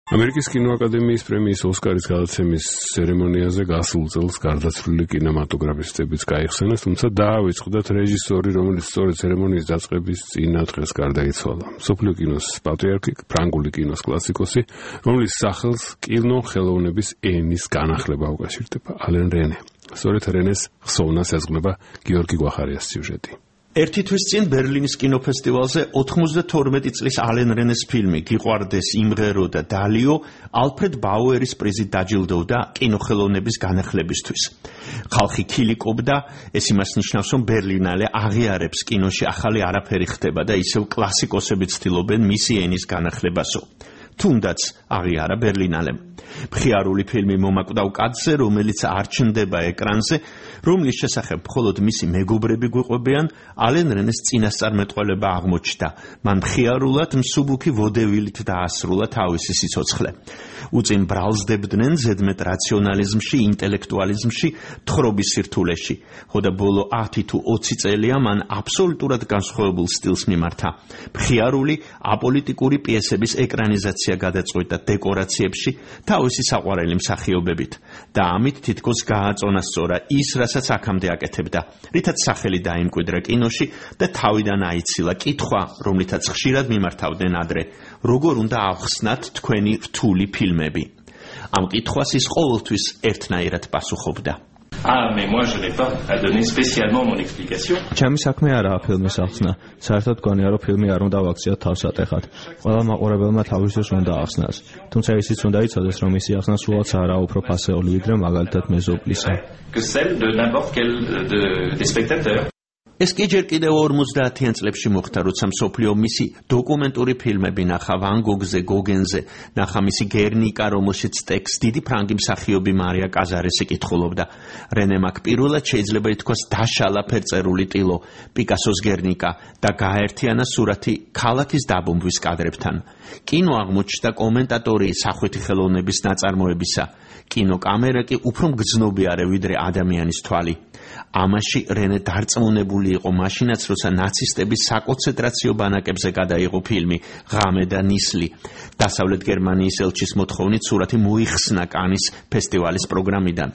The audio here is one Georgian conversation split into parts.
ამერიკის კინოაკადემიის პრემიის ოსკარის გადაცემის ცერემონიაზე გასულ წელს გარდაცვლილი კინემატოგრაფისტებიც გაიხსენეს, თუმცა დაავიწყდათ რეჟისორი, რომელიც სწორედ ცერემონიის დაწყების წინა დღეს გარდაიცვალა. მსოფლიო კინოს პატრიარქი, ფრანგული კინოს კლასიკოსი, რომლის სახელს კინოხელოვნების ენის განახლება უკავშირდება, ალენ რენე. სწორედ რენეს ხსოვნას ეზღნება გიორგი გვახარიას სიუჟეტი. ერთი თვის წინ ბერლინის კინოფესტივალზე 92 წლის ალენ რენეს ფილმი გიყვარდეს, იმღერო და დალიო ალფრედ ბაუერის პრიზით დაჯილდოვდა კინოხელოვნების განახლებისთვის. ხალხი ქილიკობდა, ეს იმას ნიშნავს, რომ ბერლინალე აღიარებს კინოში ახალი არაფერი ხდება და ისევ კლასიკოსები ცდილობენ მისი ენის განახლებასო. თუნდაც აღიარა ბერლინალემ. მხიარული ფილმი მომაკვდავ კაცზე, რომელიც არ ჩნდება ეკრანზე, რომლის შესახებ მხოლოდ მისი მეგობრები გვიყვებიან, ალენ რენეს წინასწარმეტყველება აღმოჩნდა. მან მხიარულად მსუბუქი ვოდევილით დაასრულა თავისი სიცოცხლე. უწინ ბრალსდებდნენ ზედმეტ რაციონალიზმში, ინტელექტუალიზმში, თხრობის სირთულეში. ხოდა ბოლო 10 თუ 20 წელია მან აბსოლუტურად განსხვავებულ სტილს მიმართა. მხიარული, აპოლიტიკური პიესების ეკრანიზაცია გადაწყვეტა დეკორაციებში, თავისი საყვარელი მსახიობებით და ამით თითქოს გააწონასწორა ის, რასაც აქამდე აკეთებდა, რითაც სახელი დაიმკვიდრა კინოში და თავიდან აიცილა კითხვა, რომლითაც ხშირად მიმართავდნენ ადრე, როგორ უნდა ავხსნათ თქვენი რთული ფილმები. ამ კითხვას ის ყოველთვის ერთნაირად პასუხობდა. Mais moi je n'ai pas à donner spécialement mon explication. ჩემი საქმე არაა ფილმის ახსნა. საერთოდ გონია, რომ ფილმი არ უნდა ვაქციოთ თავსატეხად. ყველა მაყურებელმა თავის დროს უნდა ახსნას. თუმცა ისიც უნდა იცოდეს, რომ მისი ახსნა სულაც არაა უფრო ფასეული, ვიდრე მაგალითად მეზობლისა. Que celle de n'importe quel des spectateurs. ეს კი ჯერ კიდევ 50-იან წლებში მოხდა, როცა მსოფლიო მისი დოკუმენტური ფილმები ნახა ვან გოგზე, გოგენზე, ნახა მისი გერნიკა, რომელშიც ტექსტს დიდი ფრანგი მსახიობი მარია კაზარესი კითხულობდა. რენემ აქ პირველად შეიძლება ითქვას დაშალა ფერწერული ტილო, პიკასოს გერნიკა და გააერთიანა სურათი ქალაქის დაბომბვის კადრებთან. კინო აღმოჩნდა კომენტატორი სახვითი ხელოვნების ნაწარმოებისა. კინოკამერა კი უფრო მგრძნობიარე ვიდრე ადამიანის თვალი. ამაში რენე დარწმუნებული იყო მაშინაც, როცა ნაცისტების საკონცენტრაციო ბანაკებზე გადაიღო ფილმი ღამე და ნისლი. დასავლეთ გერმანიის ელჩის მოთხოვნით სურათი მოიხსნა კანის ფესტივალის პროგრამიდან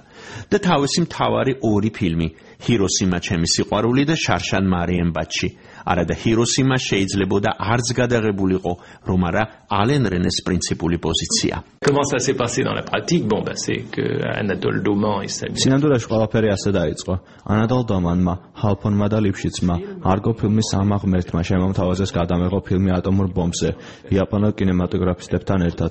და თავისი მთავარი ორი ფილმი, ჰიროსიმა ჩემი სიყვარული და შარშან მარიენბადში. არადა ჰიროსიმა შეიძლებოდა არც გადაღებულიყო, რომ არა ალენ რენეს პრინციპული პოზიცია. Comment ça s'est passé dans la pratique? Bon, c'est que Anatole Doman et sa სინამდვილეში ყველაფერი ასე დაიწყო. ანატოლ დომანმა, ჰალფონმა და ლიფშიცმა არგო ფილმის ამ ღმერთმა შემომთავაზეს გადამეღო ფილმი ატომურ ბომბზე იაპონელ კინემატოგრაფისტებთან ერთად.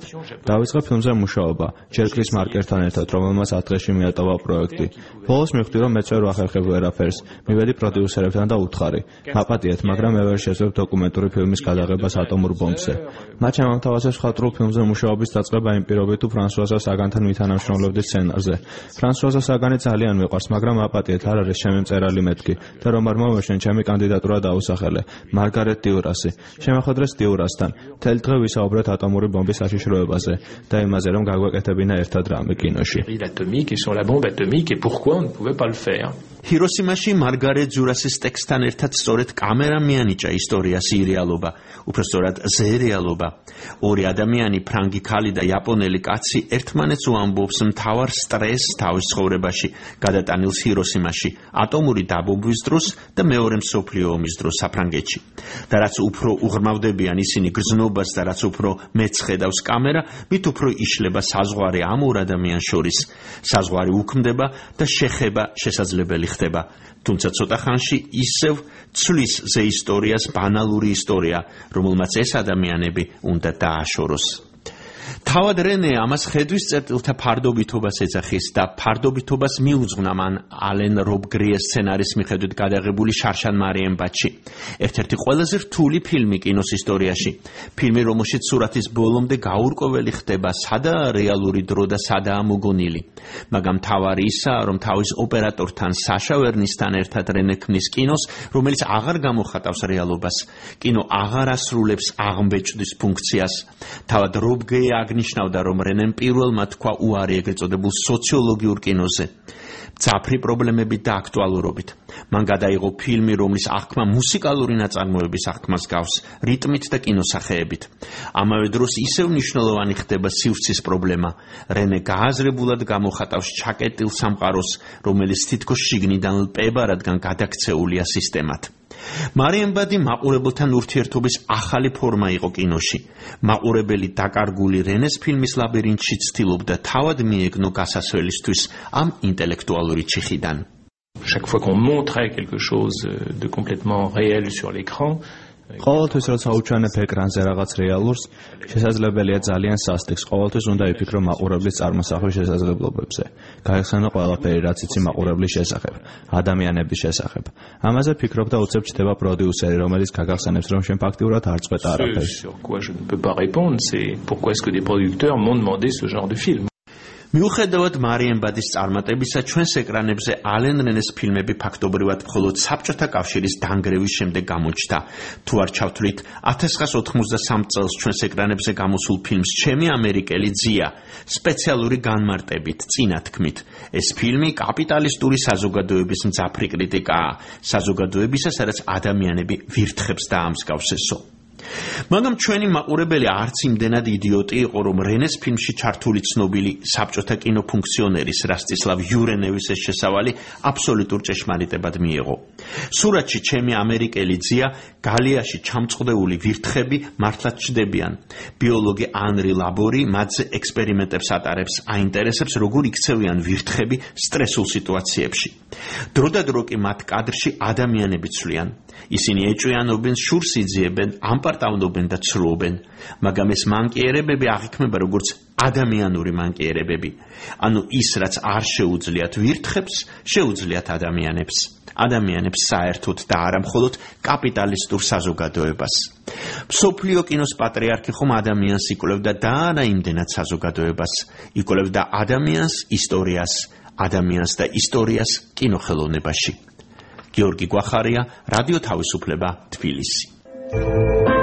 დაიწყო ფილმზე მუშაობა ჯერკლის მარკერთან ერთად, რომელმაც 10 დღეში მიატოვა პროექტი. ბოლოს მივხვდი, რომ მეც ვერ ვახერხებ ვერაფერს. მივედი პროდიუსერებთან და უთხარი: მაპატიეთ, მაგრამ მე ვერ შეძლებ დოკუმენტური ფილმის გადაღებას ატომურ ბომბზე. მათ შემომთავაზეს მხატვრულ ფილმზე მუშაობის დაწყება იმ პირობით, თუ ფრანსუაზა საგანთან მითანამშრომლობდი სცენარზე. ფრანსუაზა საგანი ძალიან მიყვარს, მაგრამ აპატიეთ, არ არის ჩემი მწერალი მეთქი და რომ არ მომეშენ, ჩემი კანდიდატურა დაუსახელე. მარგარეტ დიურასი. შემოხვედრეს დიურასთან. მთელი დღე ვისაუბრეთ ატომური ბომბის საშიშროებაზე და იმაზე, რომ გაგვეკეთებინა ერთად რამე კინოში. L'atomique et sur la bombe atomique et pourquoi on ne pouvait pas le faire. ჰიროსიმაში მარგარეტ დიურასის ტექსტთან ერთად სწორედ კამერა მიანიჭა ისტორიას ირეალობა, უბრალოდ ზერეალობა. ორი ადამიანი, ფრანგი ქალი და იაპონელი კაცი ერთმანეთს უამბობს მთავარ სტრესს თავის ცხოვრებაში, გადატანილს ჰიროსიმაში, ატომური დაბომბვის დროს და მეორე მსოფლიო ომის დროს საფრანგეთში. და რაც უფრო უღრმავდებიან ისინი გრძნობას და რაც უფრო მეც ხედავს კამერა, მით უფრო იშლება საზღვარი ამ ორ ადამიანს შორის. საზღვარი უქმდება და შეხება შესაძლებელი ხდება. თუმცა ცოტა ხანში ისევ ცვლის ზე ისტორიას ბანალური ისტორია, რომელმაც ეს ადამიანები უნდა დააშოროს. თავად რენე ამას ხედვის წერტილთა ფარდობითობას ეძახის და ფარდობითობას მიუძღვნა მან ალენ რობ გრიეს სცენარის მიხედვით გადაღებული შარშან მარიენბადში. ერთ-ერთი ყველაზე რთული ფილმი კინოს ისტორიაში. ფილმი, რომელშიც სურათის ბოლომდე გაურკვეველი ხდება, სადაა რეალური დრო და სადაა მოგონილი. მაგრამ თავარი ისაა, რომ თავის ოპერატორთან საშა ვერნისთან ერთად რენე ქმნის კინოს, რომელიც აღარ გამოხატავს რეალობას. კინო აღარ ასრულებს აღმბეჭდის ფუნქციას. თავად რობ გრიე აღნიშნავდა, რომ რენემ პირველმა თქვა უარი ეგრეთ წოდებულ სოციოლოგიურ კინოზე, მძაფრი პრობლემებით და აქტუალურობით. მან გადაიღო ფილმი, რომლის აღქმა მუსიკალური ნაწარმოების აღქმას გავს, რიტმით და კინოსახეებით. ამავე დროს ისევ მნიშვნელოვანი ხდება სივრცის პრობლემა. რენე გააზრებულად გამოხატავს ჩაკეტილ სამყაროს, რომელიც თითქოს შიგნიდან ლპება, რადგან გადაქცეულია სისტემად. მარიამბადი მაყურებელთან ურთიერთობის ახალი ფორმა იყო კინოში. მაყურებელი დაკარგული რენეს ფილმის ლაბირინთში ცდილობდა თავად მიეგნო გასასვლელისთვის ამ ინტელექტუალური ჩიხიდან. Chaque fois qu'on montrait quelque chose de complètement réel sur l'écran, ყოველთვის როცა უჩვენებ ეკრანზე რაღაც რეალურს, შესაძლებელია ძალიან სასტიკს. ყოველთვის უნდა იფიქრო მაყურებლის წარმოსახვის შესაძლებლობებზე. გაიხსენო ყველაფერი, რაც იცი მაყურებლის შესახებ, ადამიანების შესახებ. ამაზე ფიქრობ და უცებ ჩდება პროდიუსერი, რომელიც გაგახსენებს, რომ შენ ფაქტიურად არ წყვეტ არაფერს. sur quoi je ne peux pas répondre, c'est pourquoi est-ce que des producteurs m'ont demandé ce genre de film. მიუხედავად მარიამბადის წარმატებისა, ჩვენს ეკრანებზე ალენ რენეს ფილმები ფაქტობრივად მხოლოდ საბჭოთა კავშირის დანგრევის შემდეგ გამოჩნდა. თუ არ ჩავთვლით 1993 წელს ჩვენს ეკრანებზე გამოსულ ფილმს ჩემი ამერიკელი ძია, სპეციალური განმარტებით, წინა თქმით, ეს ფილმი კაპიტალისტური საზოგადოების მძაფრი კრიტიკაა, საზოგადოებისა, სადაც ადამიანები ვირთხებს დაამსგავსესო. მაგრამ ჩვენი მაყურებელი არც იმდენად იდიოტი იყო, რომ რენეს ფილმში ჩართული ცნობილი საბჭოთა კინოფუნქციონერის რასტისლავ იურენევის ეს შესავალი აბსოლუტურ ჭეშმარიტებად მიიღო. სურათში ჩემი ამერიკელი ძია გალიაში ჩამწყდეული ვირთხები მართლაც ჩდებიან. ბიოლოგი ანრი ლაბორი მათზე ექსპერიმენტებს ატარებს, აინტერესებს, როგორ იქცევიან ვირთხები სტრესულ სიტუაციებში. დროდადრო კი მათ კადრში ადამიანები ცვლიან. ისინი ეჭვიანობენ, შურს იძიებენ, ამპარტავნობენ და ცრუობენ, მაგრამ ეს მანკიერებები აღიქმება როგორც ადამიანური მანკიერებები. ანუ ის, რაც არ შეუძლიათ ვირთხებს, შეუძლიათ ადამიანებს. ადამიანებს საერთოდ და არა მხოლოდ კაპიტალისტურ საზოგადოებას. მსოფლიო კინოს პატრიარქი ხომ ადამიანს იკვლევდა და არა იმდენად საზოგადოებას. იკვლევდა ადამიანს, ისტორიას, ადამიანს და ისტორიას კინოხელოვნებაში. გიორგი გვახარია, რადიო თავისუფლება, თბილისი.